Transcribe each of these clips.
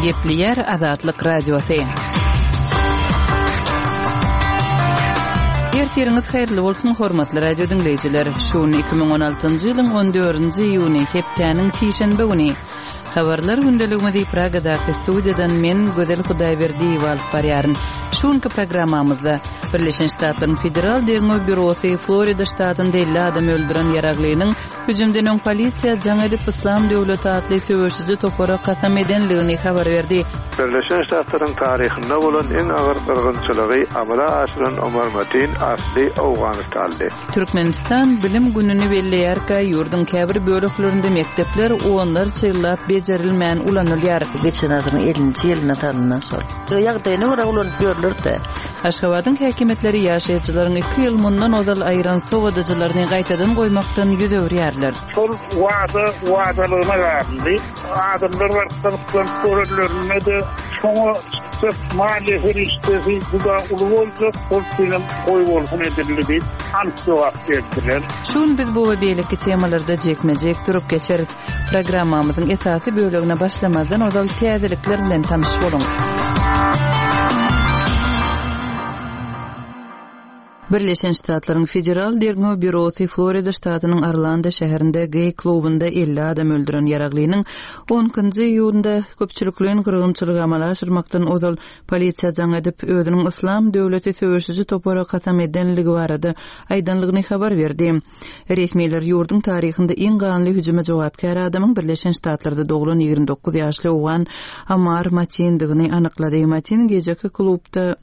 Gepleýär Azatlyk Radiosy. Ertiriňiz haýyrly bolsun, hormatly radio diňleýjiler. Şu gün 2016-njy ýylyň 14-nji iýuny, hepdäniň sişenbe güni. Habarlar gündeligimizi Pragadaky studiýadan men, Gözel Hudaýberdiýewa alyp barýaryn. Şu günki programmamyzda Birleşen Ştatlaryň Federal derňew býurosy Florida ştatynda 50 adam öldüren ýaraglynyň hüjümden öň polisiýa jaň edip Yslam döwleti atly söweşiji topara kasam edenligini habar berdi. Birleşen Ştatlaryň taryhynda bolan iň agyr gyrgynçylygy amala aşyran Omar Matin asly owganystanly. Türkmenistan Bilim gününi belleýärkä, ýurduň käbir böleklerinde mekdepler onlarça ýyllap bejerilmän ulanylýar. Geçen asyryň ellinji ýylynda salyndan şol. Ýagdaýyna görä ulanyp ýörler-dä. Aşgabadyň häkimiýetleri ýaşaýjylaryň iki ýyl mundan ozal aýyran sowadyjylaryny gaýtadan goýmakdan ýüz öwürýärler. Şol wada wadalygyna galdy. Adamlar baryp gyzyklanyp görenlerinde-de, şoňa çykjak maliýe serişdesi juda uly boljak, şol üçinem goýbolsun edildi diýip, anyk jogap berdiler. Şu gün biz bu we beýleki temalarda jikme-jik durup geçeris. Programmamyzyň esasy bölegine başlamazdan ozal täzelikler bilen tanyş boluň. Birleşen Ştatlaryň Federal derňew býurosy Florida ştatynyň Orlando şäherinde geý klubynda 50 adam öldüren ýaraglynyň on ikinji iýunda köpçülikleýin gyrgynçylygy amala aşyrmakdan ozal polisiýa jaň edip, özüniň Yslam döwleti söweşiji topara kasam edenligi barada aýdanlygyny habar berdi. Resmiler ýurduň taryhynda iň ganly hüjüme jogapkär adamyň Birleşen Ştatlarda doglan 29 ýaşly owgan Amar Matindigini anyklady. Matin gijeki klubda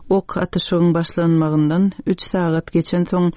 ok atyşygyň başlanmagyndan üç sagat geçensoň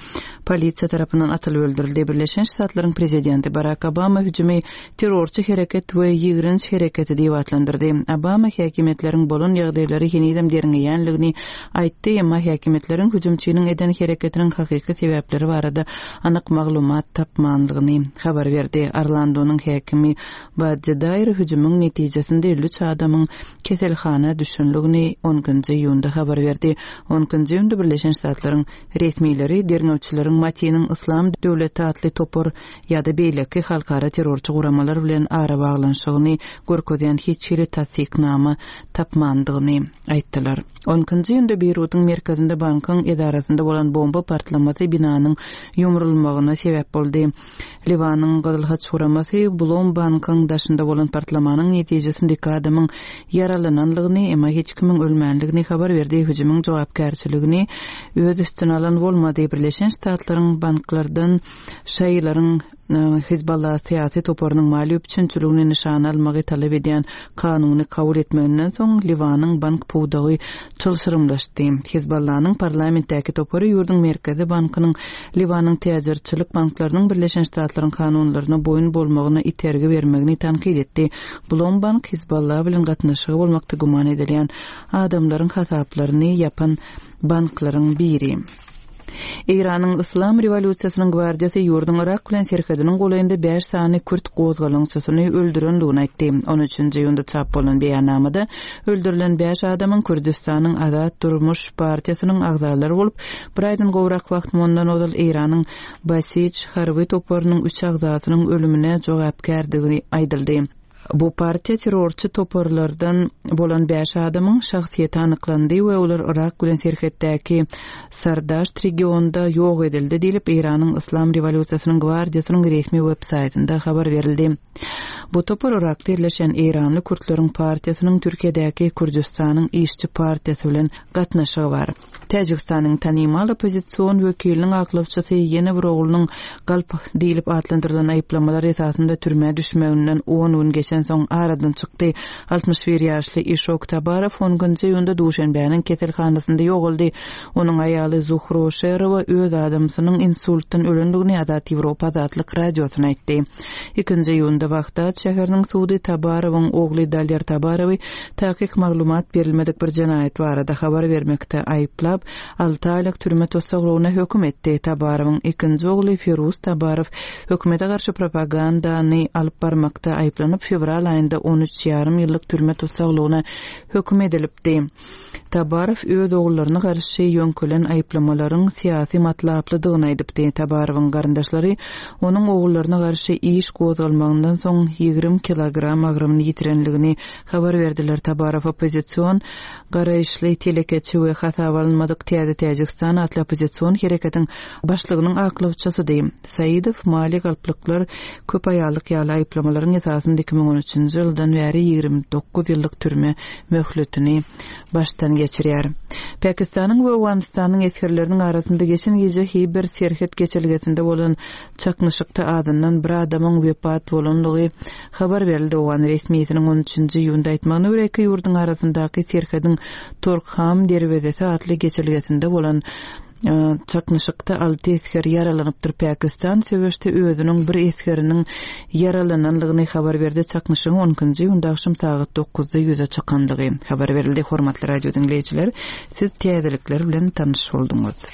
polisiýa tarapyndan atylyp öldürildi. Birleşen Ştatlaryň prezidenti Barak Obama hüjümi terrorçy hereket we ýigrenç hereketi diýip atlandyrdy. Obama häkimiýetleriň bolan ýagdaýlary henizem derňeýänligini aýtdy, emma häkimiýetleriň hüjümçiniň eden hereketiniň hakyky sebäpleri barada anyk maglumat tapmanlygyny habar berdi. Orlandonyň häkimi Baddi Daýr hüjümiň netijesinde 53 adamyň keselhana düşenligini on ikinji iýunda habar berdi. On ikinji iýunda Birleşen Ştatlaryň resmileri derňewçileriň Matiniň Yslam döwleti atly topar ýa-da beýleki halkara terrorçy guramalar bilen arabaglanyşygyny görkezýän hiç hili tassyknama tapmandygyny aýtdylar. On ikinji iýunda Beýrudyň merkezinde bankyň edarasynda bolan bomba partlamasy binanyň ýumrulmagyna sebäp boldy. Liwanyň Gyzyl Haç guramasy Blom bankyň daşynda bolan partlamanyň netijesinde iki adamyň ýaralananlygyny, emma hiç kimiň ölmänligini habar berdi. Hüjümiň jogapkärçiligini öz üstüne alan bolmady. Birleşen Ştatlaryň banklardan Şaýylaryň Hizballah syýasy toparynyň maliýe üpjünçiligini nyşana almagy talap edýän kanuny kabul etmeginden soň Liwanyň bank pudagy çylşyrymlaşdy. Hizballanyň parlamentdäki topary ýurduň Merkezi bankynyň Liwanyň täjirçilik banklarynyň Birleşen Ştatlaryň kanunlaryna boýun bolmagyna itergi bermegini tankyt etdi. Blom bank Hizballah bilen gatnaşygy bolmakda güman edilýän adamlaryň hasaplaryny ýapan banklaryň biri. Eýranyň Yslam rewolýusiýasynyň gwardiýasy ýurduň Yrak bilen serhediniň golaýynda bäş sany kürt gozgalaňçysyny öldürendigini aýtdy. On üçünji iýunda çap bolan beýannamada öldürilen bäş adamyň Kürdüstanyň Azat Durmuş partiýasynyň agzalary bolup, bir aýdan gowrak wagt mundan ozal Eýranyň Basij harby toparynyň üç agzasynyň ölümine jogapkärdigi aýdyldy. Bu partiýa terrorçy toparlardan bolan bäş adamyň şahsyýeti anyklandy we olar Yrak bilen serhetdäki Sardaşt regionynda ýok edildi diýlip, Eýranyň Yslam rewolýusiýasynyň gwardiýasynyň resmi web-saýtynda habar berildi. Bu topar Yrakda ýerleşen eýranly kürtleriň partiýasynyň Türkiýedäki Kürdüstanyň işçi partiýasy bilen gatnaşygy bar. Täjigistanyň tanymal oppozision wekiliniň aklawçysy ýene bir oglunyň galp diýlip atlandyrylan aýyplamalar esasynda türmä düşmeginden on gün geçensoň aradan çykdy. 61 ýaşly Işok Tabarow on nji iýunda Duşenbäniň keselhanasynda ýogaldy. Onuň aýaly Zuhro Şerowa öz adamsynyň insultdan ölendigini Azat Ýewropa Azatlyk Radiosyna aýtdy. Ikinji iýunda Wahdat şäheriniň sudy Tabarowyň ogly Daler Tabarowy Takyk maglumat berilmedik bir jenaýat barada habar bermekde aýyplap, alty aýlyk türme tussaglygyna höküm etdi. Tabarowyň ikinji ogly Firuz Tabarow hökümete garşy propagandany alyp barmakda aýyplanyp, fewral aýynda on üç ýarym ýyllyk türme tussaglygyna höküm edilipdi. Tabarow öz ogullaryna garşy ýöňkelen aýyplamalaryň syýasy matlaplydygyny aýdypdy. Tabarowyň garyndaşlary onuň ogullaryna garşy iş gozgalmagyndan soň 20 kilogram agramyny ýitirenligini habar berdiler. Tabarow oppozision garaýyşly telekeçi we hasaba alynmadyk Täze Täjigistan atly oppozision hereketiň başlygynyň aklawçysydy. Saidow maliýe galplyklar, köp aýallyk ýaly aýyplamalaryň esasynda 2013-nji ýyldan bäri 29 ýyllyk türme möhletini başdan geçirýär. Pakistanyň we Owganystanyň esgerleriniň arasynda geçen gije Hiber serhet geçelgesinde bolan çaknyşykda azyndan bir adamyň wepat bolandygy habar berildi. Owgan resmisiniň on üçünji iýunda aýtmagyna görä, iki ýurduň arasyndaky serhediň Torkham derwezesi atly geçelgesinde bolan Çaknyşykda alty esger ýaralanypdyr. Pakistan söweşde özüniň bir esgeriniň ýaralananlygyny habar berdi. Çaknyşygyň on ikinji iýunda agşam sagat dokuzda ýüze çykandygy habar berildi. Hormatly radio diňleýjiler, siz täzelikler bilen tanyş bolduňyz.